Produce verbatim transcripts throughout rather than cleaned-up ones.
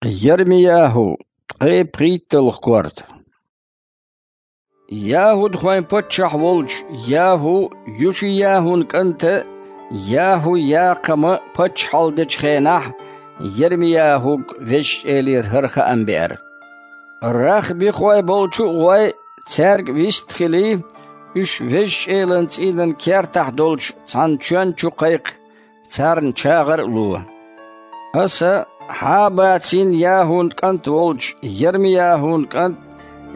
Ермияху, ткъе пхийтталгӀа корта. ЯхӀудхойн паччахь волчу ЯхӀу, ЮшияхӀун кӀанта ЯхӀу-Якхама паччахьалла дечу хенахь Ермияхуга Везачу Элера хӀара хаам беара. Рахбихой болчу а гӀой, цаьрга вист а хилий, уьш Везачу Элан цӀийнан кертахь долчу цхьана чоьн чу кхайкха, царна чагӀар а ло. Аса Хьабацин ЯхӀун кӀант волчу Ермияхун кӀант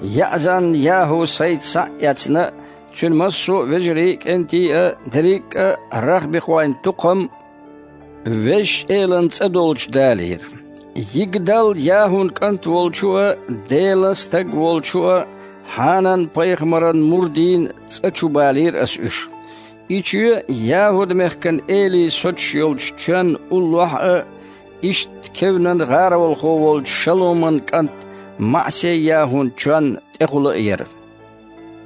Яъзан-ЯхӀу сайца схьа а эцна, цуьнан массо а вежарий а, кӀентий а, дерриг а рахбихойн тукхам Везачу Элан цӀа долчу далийра. Йигдал-ЯхӀун кӀант волчу а, Делан стаг волчу а, Хьанан-пайхамаран мурдийн цӀа чу балийра аса уьш. И чоь ЯхӀуд-мехкан элий соцуш йолчу чоьнна уллохь а, иштта кевнан гӀаролхо волчу Шалуман кӀант МаӀсей-ЯхӀун чоьнна тӀехула а яра.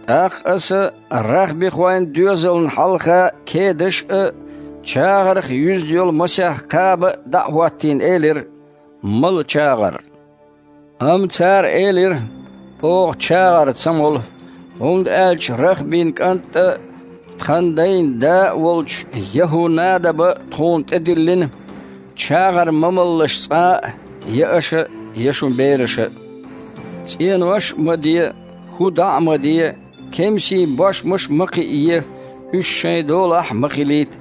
ТӀаккха аса рахбихойн доьзална хьалха кедаш а, чагӀарх юьзна йолу масех кхаба а дӀа а хӀоттийна элира: «Мала чагӀар». Амма цара элира: «Оха чагӀар ца молу, хӀунда аьлча Рахбин кӀант а, тхан дайн да а волчу ЯхӀу-Надаба тхуна тӀедиллина: „ЧагӀар ма малалаш цкъа а, я аша, я шун бераша а. ЦӀенош а ма де, хӀу дӀа а ма де, кемсийн бошмаш а ма кхиае, уьш шайн долахь а ма хилийта,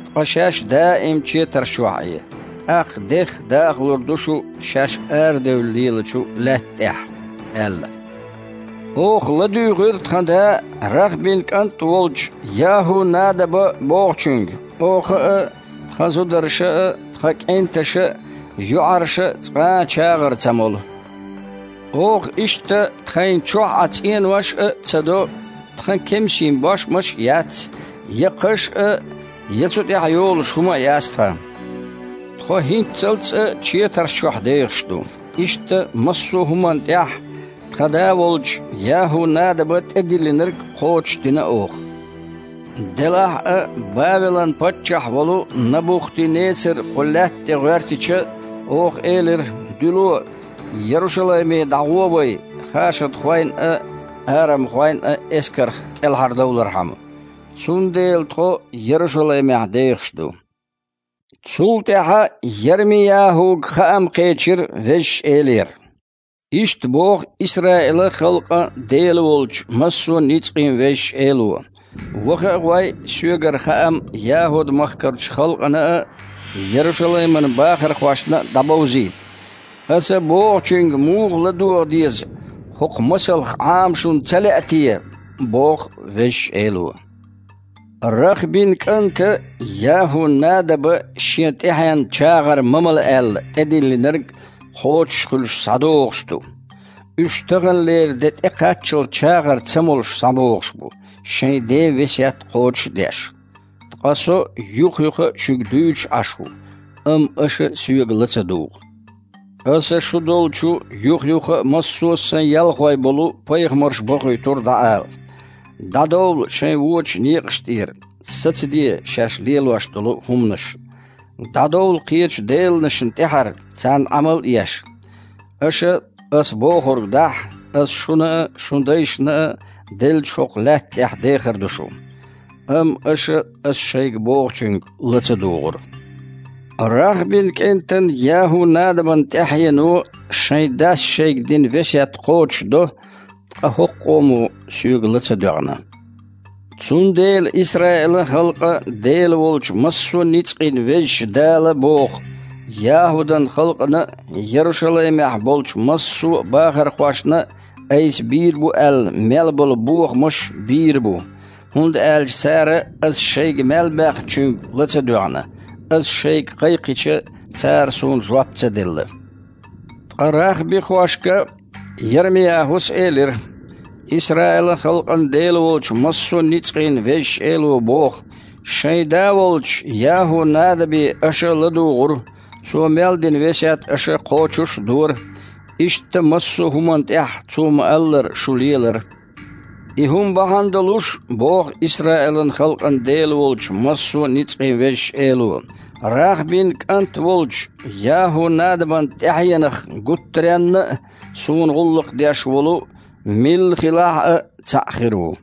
ткъа шаьш даим четарш чохь Ӏе. ТӀаккха дех дахалур ду шу шаьш арадевлла лелачу лаьтта тӀехь“, – аьлла. Оха ладуьйгӀира тхан да Рахбин кӀант а волчу ЯхӀу-Надаба бохучуьнга: „Оха а, тхан зударша а, тхан кӀенташа а, йоӀарша а цкъа а чагӀар ца молу. Оха иштта тхайна чохь Ӏа цӀенош а ца до, тхан кемсийн бошмаш а яц, я кхаш а, я цу тӀехь йолуш хӀума а яц тхан. Тхо хӀинццалц а четарш чохь дехаш ду“. Иштта массо а хӀуманна тӀехь тхан да волчу ЯхӀу-Надаба тӀедиллинарг кхочушдина оха. Делахь а, Бавелан паччахь волу Набухти-Нецар кху лаьтта тӀе гӀоьртича, оха элира: „Дуьло, Ярушалайме дӀагӀо вай, хашадхойн а, арамхойн а эскарх кӀелхьардовлархьама“. Цундела тхо Ярушалаймехь дехаш ду. Цул тӀаьхьа Ермияхуга хаам кхечира Везачу Элера: „Иштта боху Исраилан халкъан Дела волчу массо а ницкъийн Везачу Эло: „Ваха а гӀой, соьгара хаам ЯхӀуд-махкарчу халкъана а, Ярушалайман бахархошна а дӀабовзийта. Аса бохучуьнга муха ладогӀа деза, хӀокху масалх Ӏама шуна ца лаьа те?“ – боху Везачу Эло. Рахбин кӀанта ЯхӀу-Надаба шен тӀаьхьенна чагӀар ма мала аьлла тӀедиллинарг кхочуш хуьлуш схьадогӀуш ду. Уьш таханлера де тӀекхаччалц чагӀар ца молуш схьабогӀуш бу, шайн ден весет кхочуш а деш. Ткъа со юх-юха а шуьга дуьйцуш Ӏаш ву, амма аша соьга ла ца дугӀу. Аса шу долчу юх-юха а массо а сан ялхой болу пайхамарш бохуьйтура дӀаала: „ДӀадовла шайн вочу некъаш тӀера, сацаде шаьш лелош долу хӀуманаш. ДӀадовла кхечу деланашна тӀаьхьара, царна Ӏамал а еш. Аша, ас бохург дахь, ас шуна а, шун дайшна а деллачу хӀокху лаьтта тӀехь дехар ду шу“. Амма аша ас шайга бохучуьнга ла ца дугӀура. Рахбин кӀентан ЯхӀу-Надабан тӀаьхьено шайн дас шайга дина весет кхочушдо, ткъа хӀокху къомо соьга ла ца доьгӀна. Цундела Исраилан халкъан Дела волчу массо а ницкъийн Везачу Дала боху: „ЯхӀудан халкъана а, Ярушалаймехь болчу массо а бахархошна а айса бийр бу аьлла мел болу бохамаш бийр бу, хӀунда аьлча цара ас шайга мел баьхначуьнга ла ца доьгӀна, ас шайга кхайкхича, цара суна жоп ца делла“. Ткъа рахбихошка Ермияхус элира: „Исраилан халкъан Дела волчу массо а ницкъийн Везачу Эло боху: шайн да волчу ЯхӀу-Надабе аша ладугӀура, цо мел дина весет аша кхочуш а дора. Иштта массо а хӀуманна тӀехь цо ма-аллара шу лелара. И хӀума бахьана долуш, – боху Исраилан халкъан Дела волчу массо а ницкъийн Везачу Эло, Рахьбин кӀант волчу ЯхӀу-Надабан тӀаьхьенах гуттаренна а суна гӀуллакх деш волу милла хилахь а цхьаъ хир ву.